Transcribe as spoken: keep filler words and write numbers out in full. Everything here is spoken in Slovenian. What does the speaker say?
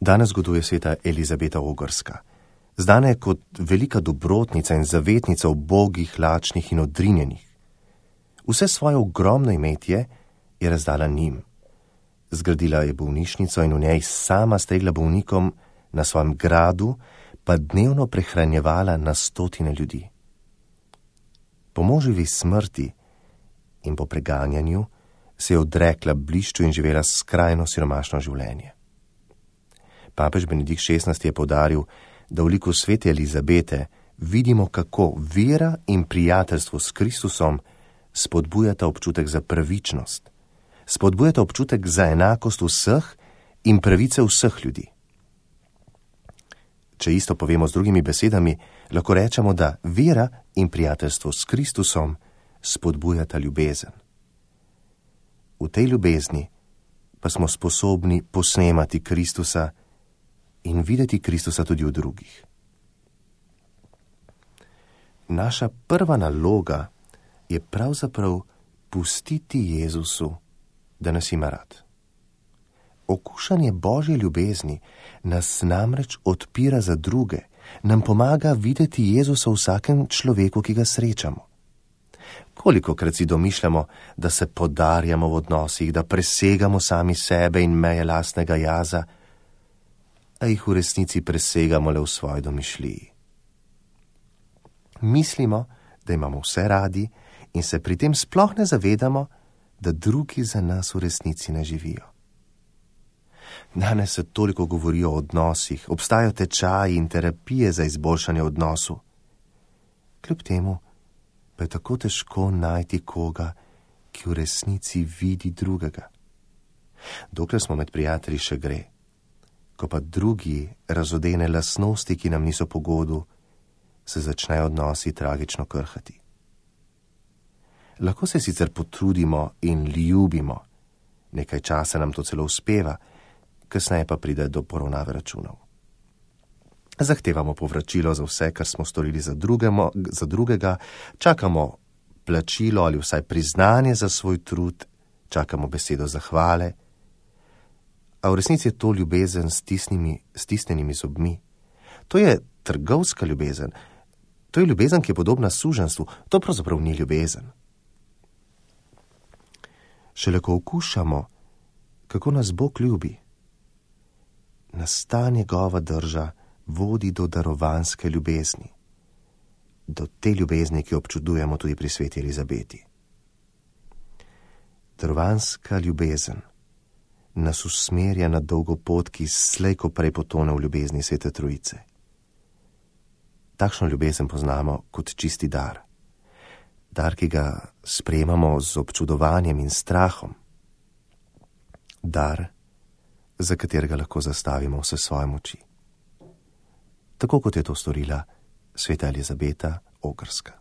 Danes goduje sveta Elizabeta Ogrska. Znana je kot velika dobrotnica in zavetnica ubogih, lačnih in odrinjenih. Vse svoje ogromno imetje je razdala njim. Zgradila je bolnišnico in v njej sama stregla bolnikom, na svojem gradu pa dnevno prehranjevala na stotine ljudi. Po moževi smrti in po preganjanju se je odrekla blišču in živela skrajno siromašno življenje. Papež Benedikt šestnajsti je poudaril, da v liku svete Elizabete vidimo, kako vera in prijateljstvo s Kristusom spodbujata občutek za pravičnost, spodbujata občutek za enakost vseh in pravice vseh ljudi. Če isto povemo z drugimi besedami, lahko rečemo, da vera in prijateljstvo s Kristusom spodbujata ljubezen. V tej ljubezni pa smo sposobni posnemati Kristusa in videti Kristusa tudi v drugih. Naša prva naloga je pravzaprav pustiti Jezusu, da nas ima rad. Okušanje Božje ljubezni nas namreč odpira za druge, nam pomaga videti Jezusa v vsakem človeku, ki ga srečamo. Kolikokrat si domišljamo, da se podarjamo v odnosih, da presegamo sami sebe in meje lastnega jaza, a jih v resnici presegamo le v svoji domišljiji. Mislimo, da imamo vse radi in se pri tem sploh ne zavedamo, da drugi za nas v resnici ne živijo. Danes se toliko govori o odnosih, obstajajo tečaji in terapije za izboljšanje odnosu. Kljub temu pa je tako težko najti koga, ki v resnici vidi drugega. Dokler smo med prijatelji, še gre. Ko pa drugi razodene lastnosti, ki nam niso po godu, se začnejo odnosi tragično krhati. Lahko se sicer potrudimo in ljubimo, nekaj časa nam to celo uspeva, kasneje pa pride do poravnave računov. Zahtevamo povračilo za vse, kar smo storili za, drugemo, za drugega, čakamo plačilo ali vsaj priznanje za svoj trud, čakamo besedo zahvale, a v resnici je to ljubezen s stisnjenimi zobmi. To je trgovska ljubezen, to je ljubezen, ki je podobna suženjstvu, to pravzaprav ni ljubezen. Šele ko okušamo, kako nas Bog ljubi, nas ta njegova drža vodi do darovanske ljubezni, do te ljubezni, ki občudujemo tudi pri sveti Elizabeti. Darovanska ljubezen nas usmerja na dolgo pot, ki slej ko prej potone v ljubezni Svete Trojice. Takšno ljubezen poznamo kot čisti dar. Dar, ki ga sprejemamo z občudovanjem in strahom. Dar, za katerega lahko zastavimo vse svoje moči. Tako kot je to storila sveta Elizabeta Ogrska.